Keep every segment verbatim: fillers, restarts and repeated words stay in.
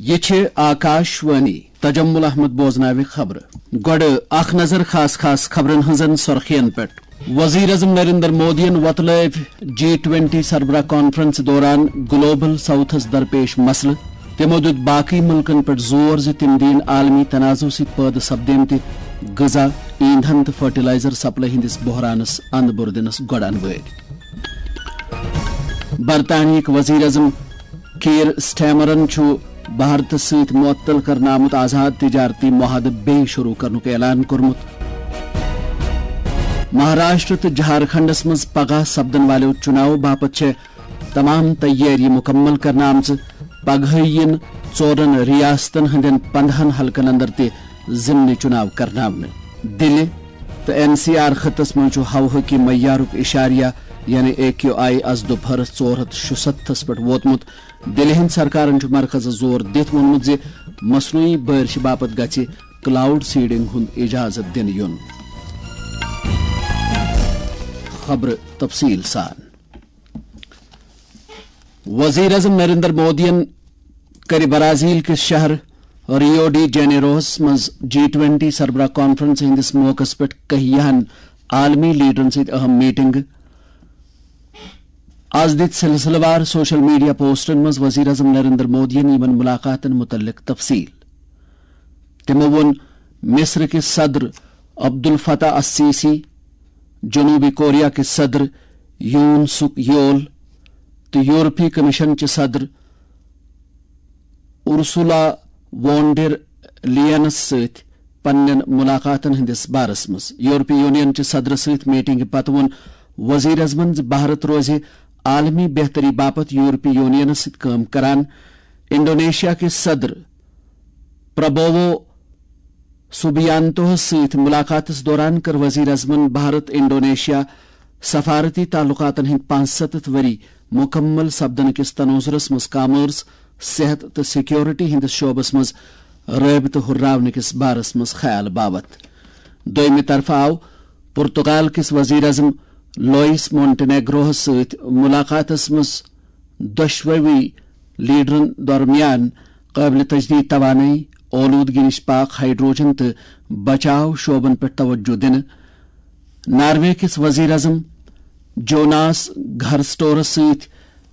یہ چھِ آکاش وانی۔ تجمل احمد بوزناوِ خبرٕ۔ گۄڈٕ اکھ نظر خاص خاص خبرن ہٕنٛزن سرخین پٮ۪ٹھ۔ وزیر اعظم نریندر مودیَن وۄتلٲوۍ جی ٹوینٹی سربراہ کانفرنس دوران گلوبل ساؤتھس درپیش مسلہٕ۔ تِمو دیُت باقی مُلکن پٮ۪ٹھ زور زِ تِم دِیِن عالمی تنازعہٕ سۭتۍ پٲدٕ سپدیمتہِ غذا، ایندھن تہٕ فرٹیلائزر سپلائی ہٕنٛدِس بحرانس اند بُر دِنس گۄڈٕ انوٲرۍ۔ برطانیہٕکۍ وزیر اعظم کیئر سٹارمرن چھُ بھارتس سۭتۍ معطل کرنہٕ آمُت آزاد تجارتی معاہدٕ بیٚیہِ شروع کرنُک اعلان کوٚرمُت۔ مہاراشٹر تہٕ جھارکھنڈس منٛز پگاہ سپدن والیو چُناو باپتھ چھےٚ تمام تیٲری مکمل کرنہٕ آمژٕ۔ پگہٕے یِن ژورن ریاستن ہٕنٛدٮ۪ن پندہن حلقن اندر تہِ ضمنی چُناو کرناونہٕ۔ دِلہِ تہٕ این سی آر خطس منٛز چھُ ہوہٕکہِ معیارُک اشاریہ، یعنی اے کیو آئی، از دُپہرس ژور ہتھ شُستھس پٮ۪ٹھ ووتمُت۔ دِلہِ ہٕنٛدِ سرکارن چھُ مرکزس زور دِتھ ووٚنمُت زِ مصنوعی بارشہِ باپتھ گژھِ کلاؤڈ سیڈنگ ہُنٛد اجازت دِنہٕ یُن۔ خبرٕ تفصیل سان۔ وزیر اعظم نریندر مودیَن کَرِ برازیل کِس شہر ریو ڈی جینیروہس منٛز جی ٹوینٹی سربراہ کانفرنس ہٕنٛدِس موقعس پٮ۪ٹھ کہیاہن عالمی لیڈرن سۭتۍ اہم میٹنگ۔ از دِتۍ سلسلہٕ وار سوشل میڈیا پوسٹن منٛز وزیر اعظم نریندر مودیَن یِمن ملاقاتن متعلق تفصیل۔ تِمو ووٚن مصر کِس صدر عبدالفتاح السیسی، جنوبی کوریا کِس صدر یون سُک یول تہٕ یورپی کمیشن چہِ صدر اُرسولا وون ڈر لیئنس سۭتۍ پننٮ۪ن ملاقاتن ہٕنٛدِس بارس منٛز۔ یورپی یونین چہِ صدرٕ سۭتۍ میٹنگہِ پتہٕ ووٚن وزیر اعظمن زِ بھارت روزِ عالمی بہتری باپتھ یورپی یونینس سۭتۍ کٲم کران۔ انڈونیشیا کِس صدر پربوو سوبیانتوہس سۭتۍ ملاقاتس دوران کٔر وزیر اعظمن بھارت انڈونیشیا سفارتی تعلقاتن ہٕنٛدۍ پانٛژستتھ ؤری مکمل سپدنہٕ کِس تناظرس منٛز کامٲرس، صحت تہٕ سیکیورٹی ہٕنٛدِس شعبس منٛز رٲبطہٕ ہُرراونہٕ کِس بارس منٛز خیال باوتھ۔ دوٚیمہِ طرفہٕ آو پرتگال کِس وزیر اعظم لوئس مونٹینیگروہس سۭتۍ ملاقاتس منٛز دۄشوٕے لیڈرن درمیان قٲبلِ تجدید توانٲیی، اولوٗدگی نِش پاک ہائیڈروجن تہٕ بچاو شعبن پٮ۪ٹھ توجہ دِنہٕ۔ ناروے کِس وزیر اعظم جوناس گھرسٹورس سۭتۍ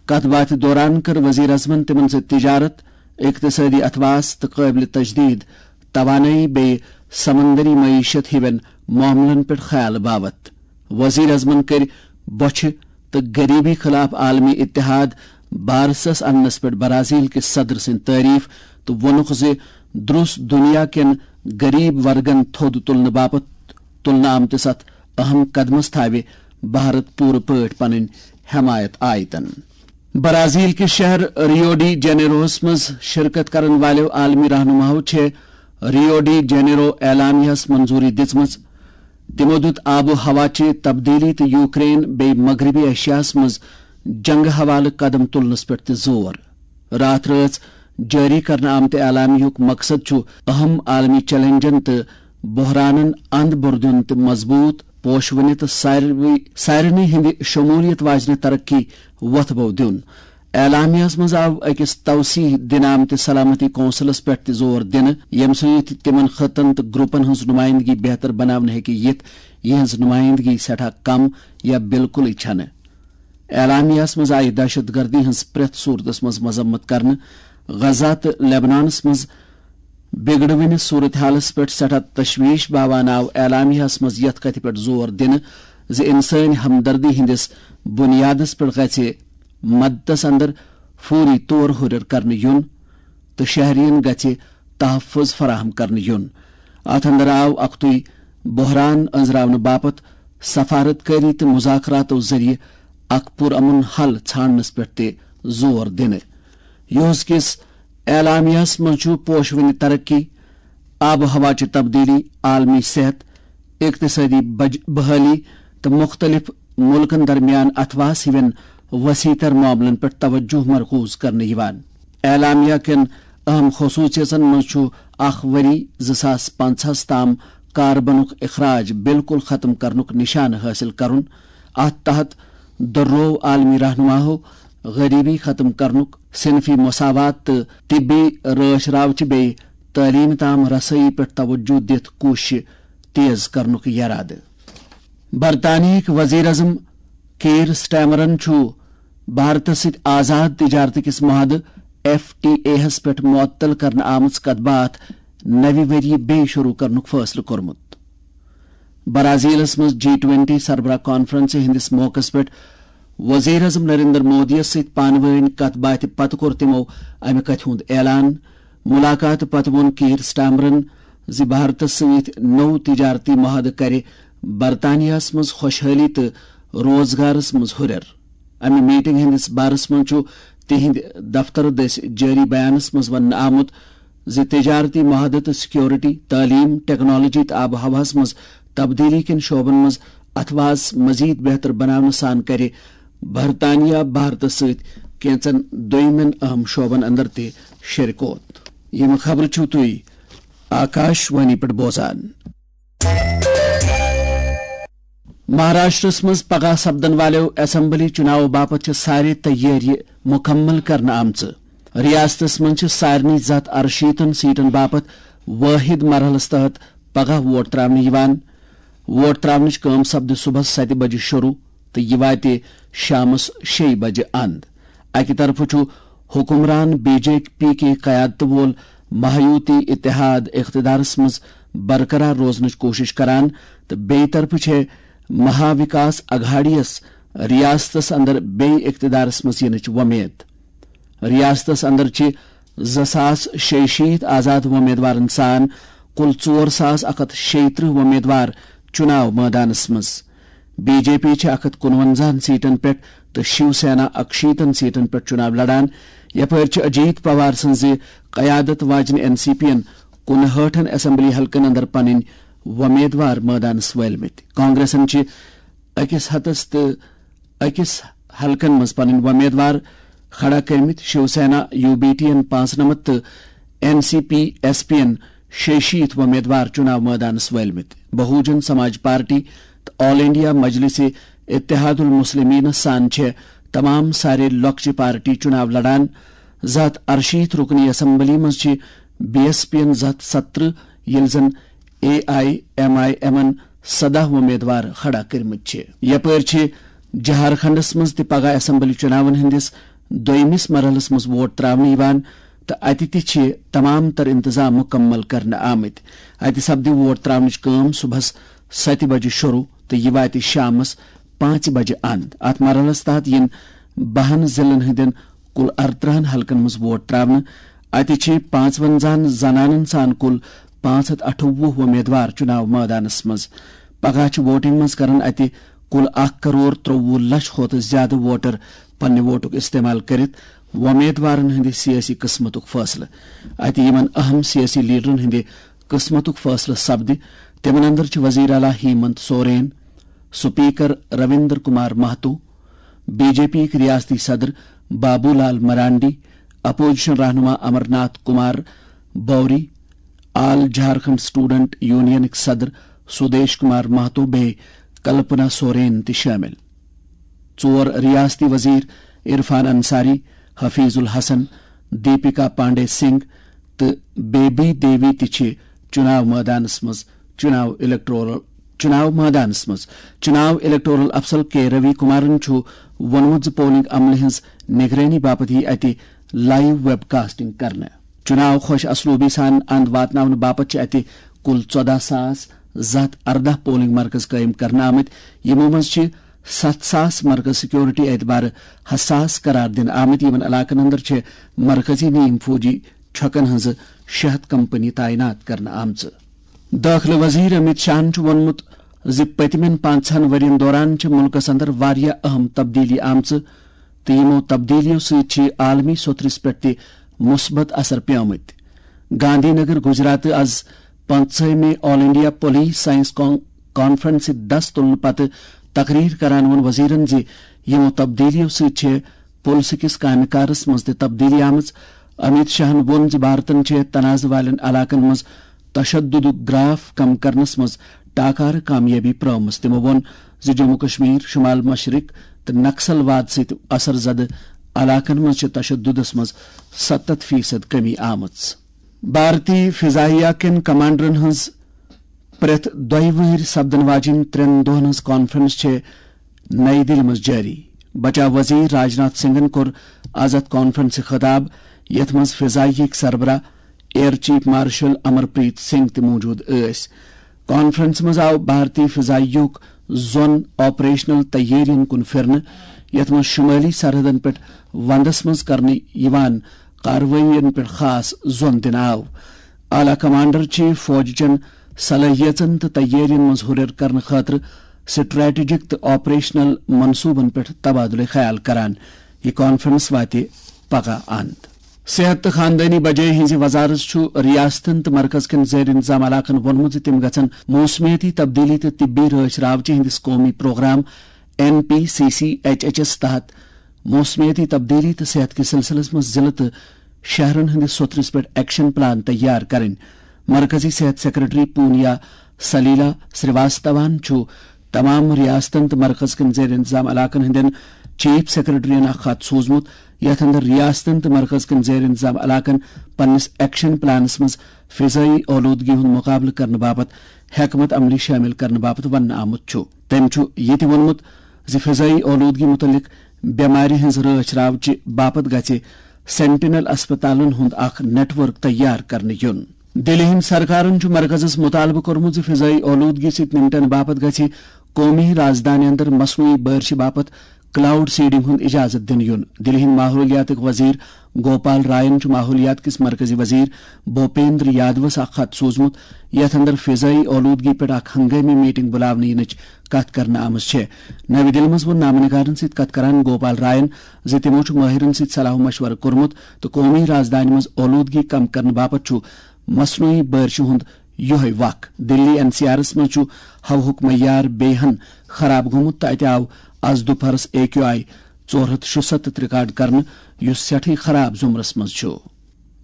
کتھ باتھِ دوران کٔر وزیر اعظمن تِمن سۭتۍ تجارت، اقتصٲدی اتھواس تہٕ قٲبلِ تجدید توانٲیی بیٚیہِ سمندری معیشت ہِوٮ۪ن معاملن پٮ۪ٹھ خیال باوتھ۔ وزیر اعظمن کٔرۍ بۄچھِ تہٕ غریبی خلاف عالمی اتحاد بارسس اننس پٮ۪ٹھ برازیل کِس صدر سٕنٛدۍ تعریف تہٕ ووٚنُکھ زِ درُس دُنیا کٮ۪ن غریب ورگن تھوٚد تُلنہٕ باپتھ تُلنہٕ آمتِس اتھ اہم قدمس تھاوِ بھارت پوٗرٕ پٲٹھۍ پنٕنۍ حمایت آیتن۔ برازیل کِس شہر ریو ڈی جینیروہس منٛز شرکت کرن والیو عالمی رہنماہو چھےٚ ریو ڈی جینیرو اعلامیہس منظوری دِژمٕژ۔ تِمو دیُت آب و ہوا چہِ تبدیلی تہٕ یوکرین بیٚیہِ مغربی ایشیاہس منٛز جنگہٕ حوالہٕ قدم تُلنس پٮ۪ٹھ تہِ زور۔ راتھ رٲژ جٲری کرنہٕ آمتہِ اعلامیہُک مقصد چھُ اہم عالمی چیلنجن تہٕ بحرانن اند بُر دیُن تہٕ مضبوط، پوشوٕنہِ تہٕ ساروٕے، سارنٕے ہٕنٛدِ شمولیت واجنہِ ترقی وۄتھٕ بو دیُن۔ اعلامیہس منٛز آو أکِس توسیع دِنہٕ آمتِس سلامتی کونسلس پٮ۪ٹھ تہِ زور دِنہٕ، ییٚمہِ سۭتۍ تِمن خطن تہٕ گروپن ہٕنٛز نُمٲیندگی بہتر بناونہٕ ہیٚکہِ یِتھ، یِہٕنٛز نُمٲیندگی سٮ۪ٹھاہ کم یا بالکلٕے چھنہٕ۔ اعلامیہس منٛز آیہِ دہشت گردی ہٕنٛز پرٛٮ۪تھ صورتس منٛز مذمت کرنہٕ۔ غزہ تہٕ لیبنانس منٛز بگڑوٕنس صورتحالس پٮ۪ٹھ سٮ۪ٹھاہ تشویش باوان آو اعلامیہس منٛز یتھ کتھِ پٮ۪ٹھ زور دِنہٕ زِ انسٲنی ہمدردی ہٕنٛدِس بنیادس پٮ۪ٹھ گژھِ مدتس اندر فوری طور ہُرٮ۪ر کرنہٕ یُن تہٕ شہرین گژھِ تحفظ فراہم کرنہٕ یُن۔ اتھ اندر آو اکھتُے بحران أنٛزراونہٕ باپتھ سفارت کٲری تہٕ مذاکراتو ذٔریعہٕ اکھ پُرامن حل ژھانڈنس پٮ۪ٹھ تہِ زور دِنہٕ۔ یوز کِس اعلامیہس منٛز چھُ پوشوٕنہِ ترقی، آب و ہوا چہِ تبدیلی، عالمی صحت، اقتصٲدی بج-، بحالی تہٕ مُختٔلِف مُلکن درمیان اتھواس ہِوٮ۪ن وسیع تر معاملن پٮ۪ٹھ توجہ مرکوز کرنہٕ یِوان۔ اعلامیہ کٮ۪ن اہم خصوٗصیژن منٛز چھُ اکھ ؤری زٕ ساس پنٛژاہس تام کاربنُک اخراج بالکل ختم کرنُک نشانہٕ حٲصِل کرُن۔ اتھ تحت دۄرروو عالمی رہنماہو غریبی ختم کرنُک، صنفی مساوات تہٕ طبی رٲچھ راوچہِ بیٚیہِ تعلیٖم تام رسٲیی پٮ۪ٹھ توجہ دِتھ کوٗششہِ تیز کرنُک یرادٕ۔ برطانیہٕکۍ وزیر اعظم کیئر سٹارمرن چھُ بھارتس سۭتۍ آزاد تجارت کِس معاہدٕ، ایف ٹی اے ہَس پٮ۪ٹھ معطل کرنہٕ آمٕژ کتھ باتھ نوِ ؤریہِ بیٚیہِ شروع کرنُک فٲصلہٕ کوٚرمُت۔ برازیلس منٛز جی ٹوینٹی سربراہ کانفرنسہِ ہٕنٛدِس موقعس پٮ۪ٹھ وزیر اعظم نریندر مودی یَس سۭتۍ پانہٕ وٲنۍ کتھ باتھِ پتہٕ کوٚر تِمو امہِ کتھِ ہُنٛد اعلان۔ ملاقاتہٕ پتہٕ ووٚن کیئر سٹارمرن زِ بھارتس سۭتۍ نوٚو تجارتی معاہدٕ کرِ برطانیہس منٛز خۄشحٲلی تہٕ روزگارس منٛز ہُرٮ۪ر۔ امہِ میٹنگ ہٕنٛدِس بارس منٛز چھُ تِہنٛدِ دفترٕ دٔسۍ جٲری بیانس منٛز وننہٕ آمُت زِ تجارتی معاہدٕ تہٕ سیکورٹی، تعلیٖم، ٹیکنالوجی تہٕ آب و ہوہَس منٛز تبدیٖلی کٮ۪ن شعبن منٛز اتھواس مزید بہتر بناونہٕ سان کرِ برطانیہ بھارتس سۭتۍ کینژن دویمٮ۪ن اہم شعبن اندر تہِ شریکوت۔ یِم خبرٕ چھِو تُہۍ آکاش وانی پٮ۪ٹھ بوزان۔ مہاراشٹرس منٛز پگاہ سپدن والٮ۪و اسمبلی چُناوو باپتھ چھِ سارے تیٲرۍ مُکمل کرنہٕ آمژٕ۔ ریاستس منٛز چھِ سارنٕے زٕ ہتھ ارشیٖتن سیٹن باپتھ وٲحد مرحلس تحت پگاہ ووٹ تراونہٕ یِوان۔ ووٹ تراونٕچ کٲم سپدِ صبحس ستہِ بجہِ شروع تہٕ یہِ واتہِ شامس شیٚیہِ بجہِ اند۔ اکہِ طرفہٕ چھُ حکمران بی جے پی کہِ قیادتہٕ وول مہایوتی اتحاد اقتدارس منٛز برقرار روزنٕچ کوٗشش کران تہٕ بیٚیہِ طرفہٕ چھےٚ مہاوکاس اگھاڑی یَس ریاستس اندر بیٚیہِ اقتدارس منٛز یِنٕچ وۄمید۔ ریاستس اندر چھِ زٕ ساس شیٚیہِ شیٖتھ آزاد وۄمیدوارن سان کُل ژور ساس اکھ ہتھ شیٚیہِ ترٕٛہ وۄمیدوار چُناو مٲدانس منٛز۔ بی جے پی چھِ اکھ ہتھ کُنونزاہن سیٹن پٮ۪ٹھ تہٕ شیو سینا اکشیٖتن سیٹن پٮ۪ٹھ چُناو لڑان۔ یپٲرۍ چھِ اجیت پوار سٕنٛزِ قیادت واجنہِ این سی پی ین کُنہٲٹھن اسمبلی حلقن اندر پنٕنۍ وۄمیدوار مٲدانس وٲلمٕتۍ۔ کانگریسن چھِ أکِس ہتس تہٕ أکِس حلقن منٛز پنٕنۍ وۄمیدوار کھڑا کٔرمٕتۍ۔ Shiv Sena, U B T ین پانٛژنمتھ تہٕ N C P S P ین شیٚیہِ شیٖتھ وۄمیدوار چُناو مٲدانس وٲلمٕتۍ۔ بہوجن سماج پارٹی تہٕ آل انڈیا مجلس اتحاد المسلمینس سان چھِ تمام سارے لۄکچہِ پارٹی چُناو لڑان۔ زٕ ہتھ ارشیٖتھ رُکنی اسمبلی منٛز چھِ بی ایس پی ین زٕ ہتھ ستترٕہ، ییٚلہِ زن A I am I am ن سداہ وۄمیدوار کھڑا کٔرمٕتۍ چھِ۔ یپٲرۍ چھِ جھارکھنڈس منٛز تہِ پگاہ اسمبلی چُناون ہٕنٛدِس دوٚیمِس مرحلس منٛز ووٹ تراونہٕ یِوان تہٕ اتہِ تہِ چھِ تمام تر انتظام مُکمل کرنہٕ آمٕتۍ۔ اتہِ سپدِ ووٹ تراونٕچ کٲم صبحس ستہِ بجہِ شروع تہٕ یہِ واتہِ شامس پانٛژِ بجہِ اند۔ اتھ مرحلس تحت یِن بَہَن ضلعن ہٕنٛدٮ۪ن کُل ارترٕہن حلقن منٛز ووٹ تراونہٕ۔ اتہِ چھِ پانٛژونزاہن زنانن سان کُل پانٛژھ ہتھ اَٹھووُہ وۄمیدوار چُناو مٲدانس منٛز۔ پگاہ چھِ ووٹنگ منٛز کرن اتہِ کُل اکھ کرور ترٛوٚوُہ لچھ کھۄتہٕ زیادٕ ووٹر پننہِ ووٹُک استعمال کٔرِتھ وۄمیدوارن ہٕنٛدِ سیٲسی قٕسمتُک فٲصلہٕ۔ اتہِ یِمن اہم سیٲسی لیڈرن ہٕنٛدِ قٕسمتُک فٲصلہٕ سپدِ، تِمن اندر چھِ وزیر اعلیٰ ہیمنت سورین، سپیکر رویندر کمار مہتو، بی جے پی یِکۍ ریاستی صدر بابو لال مرانڈی، اپوزیشن رہنما امر ناتھ کمار بوری، آل جھارکھنڈ اسٹوڈنٹ یونینٕکۍ صدر سودیش کمار مہتو بیٚیہِ کلپنا سورین تہِ شٲمِل۔ ژور ریاستی وزیر عرفان انصاری، حفیظ الحسن، دیپکا پانڈے سنگھ تہٕ بیبی دیوی تہِ چھِ چُناو مٲدانس منٛز چُناو الیکٹورل چُناو مٲدانس منٛز۔ چُناو الیکٹورل افسر کے روی کمارن چھُ ووٚنمُت زِ پولنگ عملہِ ہٕنٛز نگرٲنی باپتھ یِیہِ اتہِ لائیو ویب کاسٹنگ کرنہٕ۔ چُناو خۄش اسلوبی سان اند واتناونہٕ باپتھ چھِ اتہِ کُل ژۄداہ ساس زٕ ہتھ ارداہ پولنگ مرکز قٲیِم کرنہٕ آمٕتۍ، یِمو منٛز چھِ ستھ ساس مرکز سیکورٹی اعتبارٕ حساس قرار دِنہٕ آمٕتۍ۔ یِمن علاقن اندر چھِ مرکزی نیم فوجی چھۄکن ہٕنٛزٕ شےٚ ہتھ کمپنی تعینات کرنہٕ آمژٕ۔ دٲخلہٕ وزیر امیت شاہن چھُ ووٚنمُت زِ پٔتمٮ۪ن پانٛژہن ؤرین دوران چھِ مُلکس اندر واریاہ اہم تبدیلی آمژٕ تہٕ یِمو تبدیلیو سۭتۍ چھِ عالمی سوٚتھرِس پٮ۪ٹھ تہِ مثبت اثر پیومٕتۍ۔ گاندھی نگر، گجرات، از پنٛژہمہِ آل انڈیا پولیس سائنس کان-، کانفرنسہِ دس تُلنہٕ پتہٕ تقریر کران ووٚن وزیرن زِ یِمو تبدیلیو سۭتۍ چھِ پُلسہٕ کِس کامہِ کارس منٛز تہِ تبدیلی آمٕژ۔ امیت شاہن ووٚن زِ بھارتن چھِ تنازعہٕ والٮ۪ن علاقن منٛز تشددُک گراف کم کرنس منٛز ٹاکارٕ کامیٲبی پرٲومٕژ۔ تِمو ووٚن زِ جموں کشمیر، شمال مشرق تہٕ نکسل واد سۭتۍ اثر زدٕ علاقن منٛز چھِ تشددس منٛز ستتھ فیصد کمی آمٕژ۔ بھارتی فضائیہ کٮ۪ن کمانڈرن ہٕنٛز پرٛٮ۪تھ دۄیہِ وٕہٕرۍ سپدن واجیٚنۍ ترٛٮ۪ن دۄہن ہٕنٛز کانفرنس چھےٚ نئی دِلہِ منٛز جٲری۔ بچاو وزیر راجناتھ سنگھن کوٚر از اتھ کانفرنسہِ خطاب، یتھ منٛز فضائیہٕکۍ سربراہ ایئر چیف مارشل امر پریت سنگھ تہِ موجود ٲسۍ۔ کانفرنس منٛز آو بھارتی فضائیہُک زون آپریشنل تیٲرین کُن پھرنہٕ، یتھ منٛز شمٲلی سرحدن پٮ۪ٹھ ونٛدس منٛز کرنہٕ یِوان کاروٲیین پٮ۪ٹھ خاص زون دِنہٕ آو۔ اعلیٰ کمانڈر چیف فوج چٮ۪ن صلٲحیژن تہٕ تیٲرین منٛز ہُرٮ۪ر کرنہٕ خٲطرٕ سٹریٹجک تہٕ آپریشنل منصوبن پٮ۪ٹھ تبادلہٕ خیال کران۔ یہِ کانفرنس واتہِ پگاہ اند۔ صحت تہٕ خاندٲنی بجٲے ہٕنٛزِ وزارت چھُ ریاستن تہٕ مرکز کٮ۪ن زیر انتظام علاقن ووٚنمُت زِ تِم گژھن موسمیٲتی تبدیلی تہٕ طبی رٲچھ راوچہِ ہٕنٛدِس قومی programme N P C C H H S تحت موسمیٲتی تبدیلی تہٕ صحت کِس سلسلس منٛز ضلعہٕ تہٕ شہرن ہٕنٛدِس سوٚتھرِس پٮ۪ٹھ ایکشن پلان تیار کرٕنۍ۔ مرکزی صحت سیکرٹری پونیا سلیلا سریواستوان چھُ تمام ریاستن تہٕ مرکز کٮ۪ن زیر انتظام علاقن ہٕنٛدٮ۪ن چیف سیکرٹرین اکھ خط سوٗزمُت، یتھ اندر ریاستن تہٕ مرکز کٮ۪ن زیر انتظام علاقن پننِس ایکشن پلانس منٛز فضائی آلودگی ہُنٛد مقابلہٕ کرنہٕ باپتھ حکمت عملی شٲمِل کرنہٕ باپتھ وننہٕ آمُت چھُ۔ تٔمۍ چھُ یہِ تہِ ووٚنمُت زِ فضائی آلودگی مُتعلق بٮ۪مارِ ہٕنٛز رٲچھ راوچہِ باپتھ گژھِ سینٹینل اسپتالن ہُنٛد اکھ نیٹ ورک تیار کرنہٕ یُن۔ دِلہِ ہٕنٛدِ سرکارن چھُ مرکزس مُطالبہٕ کوٚرمُت زِ فضائی آلودگی سۭتۍ نمٹنہٕ باپتھ گژھِ قومی رازدانہِ اندر مصنوعی بارشہِ باپتھ کلاؤڈ سیڈنگ ہُنٛد اجازت دِنہٕ یُن۔ دِلہِ ہٕنٛدۍ ماحولیاتٕکۍ وزیر گوپال راین چھُ ماحولیات کِس مرکزی وزیر بھوپیندر یادوس اکھ خط سوٗزمُت، یتھ اندر فضائی آلودگی پٮ۪ٹھ اکھ ہنگٲمی میٹنگ بُلاونہٕ یِنٕچ کتھ کرنہٕ آمٕژ چھےٚ۔ نَوِ دِلہِ منٛز ووٚن نامہ نگارن سۭتۍ کتھ کران گوپال راین زِ تِمو چھُ مٲہرن سۭتۍ صلاح و مشورٕ کوٚرمُت تہٕ قومی رازدانہِ منٛز آلودگی کم کرنہٕ باپتھ چھُ مصنوعی بارشہِ ہُنٛد یۄہے وق۔ دِلی این سی آرس منٛز چھُ ہوہُک معیار بیٚیہِ ہن خراب گوٚمُت تہٕ اتہِ آو از دُپہرس اے کیو آئی ژور ہتھ شُستتھ ریکارڈ کرنہٕ، یُس سٮ۪ٹھٕے خراب زُمرس منٛز چھُ۔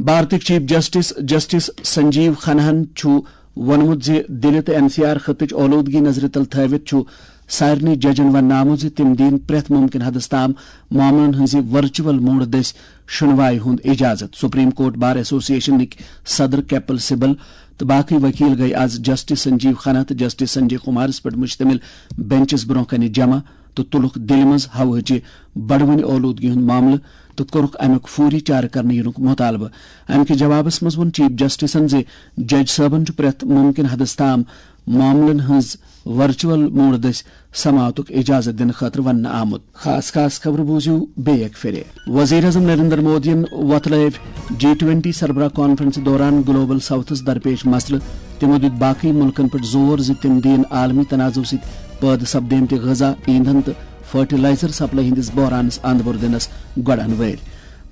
بھارتٕکۍ چیف جسٹس جسٹس سنجیو کھناہن چھُ ووٚنمُت زِ دِلہِ تہٕ این سی آر خطٕچ آلودگی نظرِ تل تھٲوِتھ چھُ سارنٕے ججن وننہٕ آمُت زِ تِم دِن پرٛٮ۪تھ مُمکِن حدس تام معاملن ہٕنٛزِ ورچوئل موڈ دٔسۍ شُنوایہِ ہُنٛد اجازت۔ سپریم کورٹ بار ایسوسی ایشنٕکۍ صدر کپل سبل تہٕ باقٕے وکیل گٔیہِ از جسٹس سنجیو کھنہ تہٕ جسٹس سنجے کمارس پٮ۪ٹھ مشتمل بینچس برونٛہہ کنہِ جمع تہٕ تُلُکھ دِلہِ منٛز ہوہٕچہِ بڑوٕنۍ آلودگی ہُنٛد معاملہٕ تہٕ کوٚرُکھ امیُک فوری چارٕ کرنہٕ یِنُک مطالبہٕ۔ امہِ کِس جوابس منٛز ووٚن چیف جسٹسن زِ جج صٲبن چھُ پرٛٮ۪تھ مُمکِن حدس تام معاملن ہٕنٛز ورچوئل موڈ دٔسۍ سماعتُک اجازت دِنہٕ خٲطرٕ وننہٕ آمُت۔ خاص خاص خبرٕ بوٗزِو بیٚیہِ اکہِ پھِرِ۔ وزیر اعظم نریندر مودیَن وۄتلٲوۍ جی ٹوینٹی سربراہ کانفرنس دوران گلوبل ساؤتھس درپیش مسلہٕ۔ تِمو دیُت باقٕے مُلکن پٮ۪ٹھ زور زِ تِم دِیِن عالمی تنازعہٕ سۭتۍ پٲدٕ سپدیمتہِ غذا، ایندھن تہٕ فرٹیلائزر سپلائی ہٕنٛدِس بحرانس اند بوٚر دِنس گۄڈٕ انوٲرۍ۔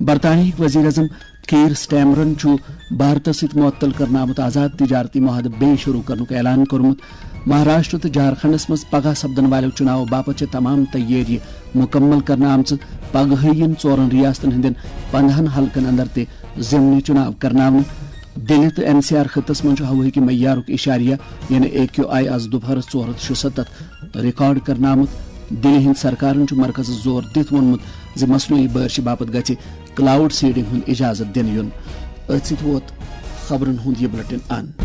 برطانیہٕکۍ وزیر اعظم کیئر سٹیمرن چھُ بھارتس سۭتۍ معطل کرنہٕ آمُت آزاد تجارتی معاہدٕ بیٚیہِ شروع کرنُک اعلان کوٚرمُت۔ مہاراشٹر تہٕ جھارکھنڈس منٛز پگاہ سپدن والٮ۪و چُناوو باپتھ چھِ تمام تیٲری مُکمل کرنہٕ آمژٕ۔ پگہٕے یِن ژورن ریاستن ہٕنٛدٮ۪ن پندہن حلقن اندر تہِ ضمنی چُناو کرناونہٕ۔ دِلہِ تہٕ این سی آر خطس منٛز چھُ ہوہٕکہِ معیارُک اشاریہ، یعنی اے کیو آئی، از دُپہرس ژور ہتھ شُستتھ ریکارڈ کرنہٕ آمُت۔ دِلہِ ہٕنٛدِ سرکارن چھُ مرکزس زور دِتھ ووٚنمُت زِ مصنوعی بارشہِ باپتھ گژھِ کلاؤڈ سیڈنگ ہُنٛد اجازت دِنہٕ یُن۔ أتھۍ سۭتۍ ووت خبرن ہُنٛد یہِ بلیٹن اند۔